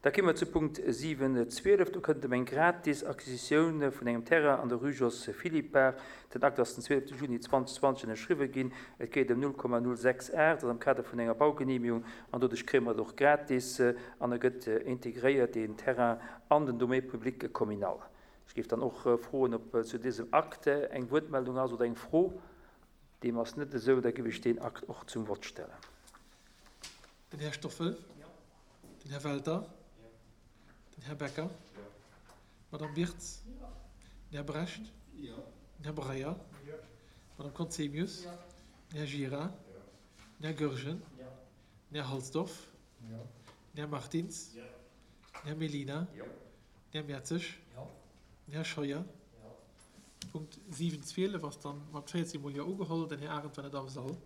Da kéime mer zu Punkt 7, 12. Do kënnt et ëm eng gratis Acquisitioun vun engem Terrain an der Rue Jos Philippart. Den Akt ass den 12 Juni 2020 ënnerschriwwe ginn. Et geet ëm 0,068, dat ass am Kader vun enger Baugenehmigung an doduerch kréie mer et och gratis an e gëtt integréiert, deen Terrain, an den Domaine public communal. Ech géif dann och froen, ob zu dësem Akt eng Wuertmeldung ass oder eng Fro. Deem ass net esou, da géif ech deen Akt och zum Vott stellen. Den Här Stoffel. Den Här Welter. Den Här Becker. D'Madame Wirtz. Den Här Brecht. Den Här Breyer. D'Madame Conzemius. Den Här Gira. Den Här Goergen. Den Här Halsdorf. Den Här Martins. Den Här Mellina. Den Här Mertzig. Den Här Scheuer. Punkt 7, 12 ass dann mat 14 mol Jo ugeholl. Den Här Arendt war net am Sall.